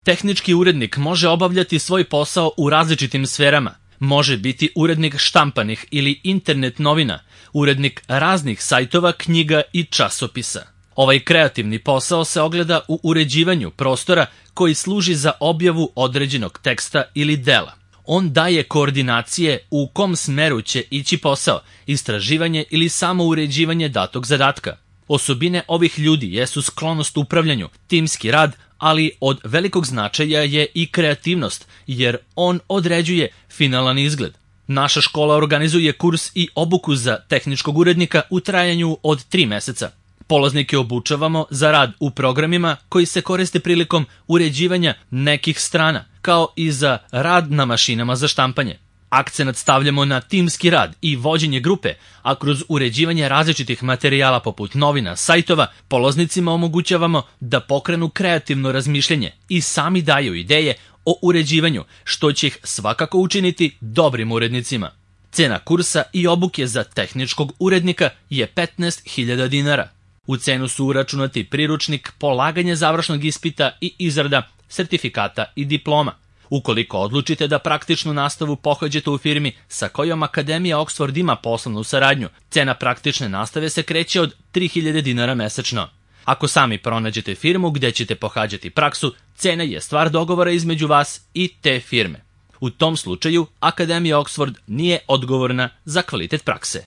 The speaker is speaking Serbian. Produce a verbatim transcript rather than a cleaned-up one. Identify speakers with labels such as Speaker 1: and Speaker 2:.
Speaker 1: Tehnički urednik može obavljati svoj posao u različitim sferama. Može biti urednik štampanih ili internet novina, urednik raznih sajtova, knjiga i časopisa. Ovaj kreativni posao se ogleda u uređivanju prostora koji služi za objavu određenog teksta ili dela. On daje koordinacije u kom smeru će ići posao, istraživanje ili samo uređivanje datog zadatka. Osobine ovih ljudi jesu sklonost upravljanju, timski rad, ali od velikog značaja je i kreativnost, jer on određuje finalan izgled. Naša škola organizuje kurs i obuku za tehničkog urednika u trajanju od tri meseca. Polaznike obučavamo za rad u programima koji se koriste prilikom uređivanja nekih strana, kao i za rad na mašinama za štampanje. Akcenat stavljamo na timski rad i vođenje grupe, a kroz uređivanje različitih materijala poput novina, sajtova, polaznicima omogućavamo da pokrenu kreativno razmišljanje i sami daju ideje o uređivanju, što će ih svakako učiniti dobrim urednicima. Cena kursa i obuke za tehničkog urednika je petnaest hiljada dinara. U cenu su uračunati priručnik, polaganje završnog ispita i izrada sertifikata i diploma. Ukoliko odlučite da praktičnu nastavu pohađate u firmi sa kojom Akademija Oxford ima poslovnu saradnju, cena praktične nastave se kreće od tri hiljade dinara mesečno. Ako sami pronađete firmu gde ćete pohađati praksu, cena je stvar dogovora između vas i te firme. U tom slučaju Akademija Oxford nije odgovorna za kvalitet prakse.